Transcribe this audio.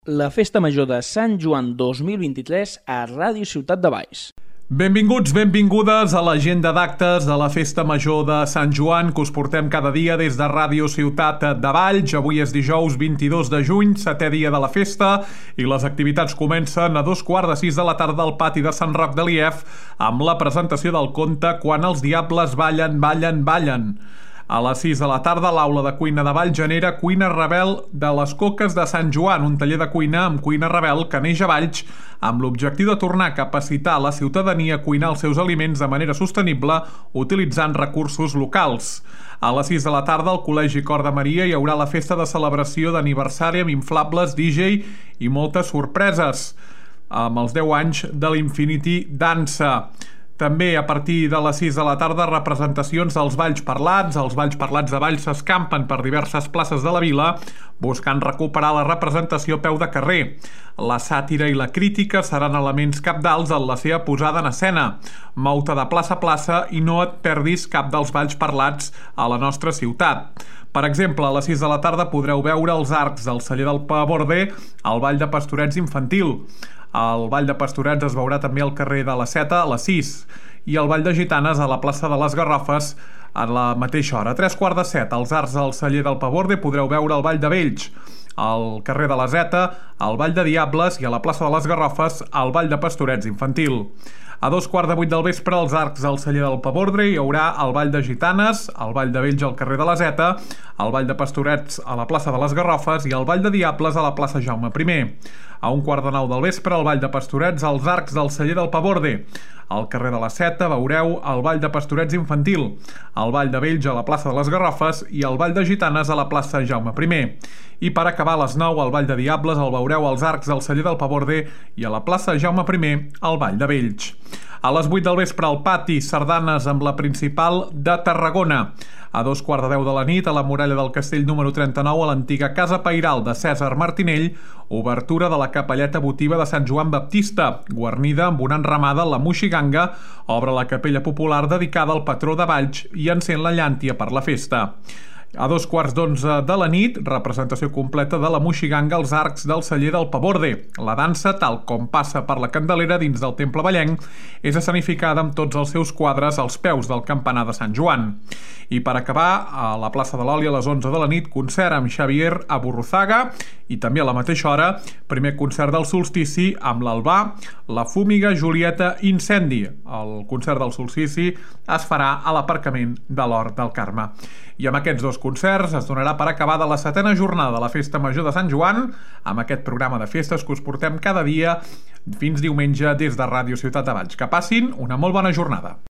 La Festa Major de Sant Joan 2023 a Ràdio Ciutat de Valls. Benvinguts, benvingudes a l'agenda d'actes de la Festa Major de Sant Joan que us portem cada dia des de Ràdio Ciutat de Valls. Avui és dijous 22 de juny, setè dia de la festa, i les activitats comencen a 5:15 de la tarda al pati de Sant Roc de Lief amb la presentació del conte Quan els diables ballen, ballen, ballen. A les 6 de la tarda, a l'aula de cuina de Valls genera Cuina Rebel de les Coques de Sant Joan, un taller de cuina amb cuina rebel que neix a Valls amb l'objectiu de tornar a capacitar la ciutadania a cuinar els seus aliments de manera sostenible utilitzant recursos locals. A les 6 de la tarda, al Col·legi Cor de Maria hi haurà la festa de celebració d'aniversari amb inflables, DJ i moltes sorpreses, amb els 10 anys de l'Infinity Dansa. També a partir de les 6 de la tarda, representacions dels balls parlats. Els balls parlats de Valls s'escampen per diverses places de la vila buscant recuperar la representació a peu de carrer. La sàtira i la crítica seran elements cabdals en la seva posada en escena. Mou-te de plaça a plaça i no et perdis cap dels balls parlats a la nostra ciutat. Per exemple, a les 6 de la tarda podreu veure els arcs del celler del Paborde al Ball de Pastorets infantil. El Ball de Pastorets es veurà també al carrer de la Seta a les 6 i el Ball de Gitanes a la plaça de les Garrofes a la mateixa hora. A 3:15, als arcs del celler del Paborde podreu veure el Ball de Vells, al carrer de la Zeta, al Ball de Diables i a la plaça de les Garrofes al Ball de Pastorets infantil. A 2:15 del vespre, als arcs del celler del Paborde hi haurà el Ball de Gitanes, el Ball de Vells al carrer de la Zeta, el Ball de Pastorets a la plaça de les Garrofes i el Ball de Diables a la plaça Jaume I. A 1:15 del vespre, el Ball de Pastorets als arcs del celler del Paborde. Al carrer de la Seta veureu el Ball de Pastorets infantil, el Ball de Vells a la plaça de les Garrofes i el Ball de Gitanes a la plaça Jaume I. I per acabar, a les 9, el Ball de Diables el veureu als arcs del celler del Paborde i a la plaça Jaume I el Ball de Vells. A les 8 del vespre, al pati, sardanes amb la principal de Tarragona. A 2:15 de la nit, a la muralla del castell número 39, a l'antiga Casa Pairal de Cèsar Martinell, obertura de la capelleta votiva de Sant Joan Baptista, guarnida amb una enramada, la Moixiganga, obre la capella popular dedicada al patró de Valls i encén la llàntia per la festa. A 2:15 de la nit, representació completa de la Moixiganga als arcs del celler del Paborde. La dansa, tal com passa per la Candelera dins del Temple Vallenc, és escenificada amb tots els seus quadres als peus del campanar de Sant Joan. I per acabar, a la plaça de l'Oli a les 11 de la nit, concert amb Xavier Aburruzaga i també a la mateixa hora, primer concert del solstici amb l'Albà, la Fúmiga, Julieta, Incendi. El concert del solstici es farà a l'aparcament de l'Hort del Carme. I amb aquests dos concerts es donarà per acabada la 7a jornada de la Festa Major de Sant Joan, amb aquest programa de festes que us portem cada dia fins diumenge des de Ràdio Ciutat de Valls. Que passin una molt bona jornada.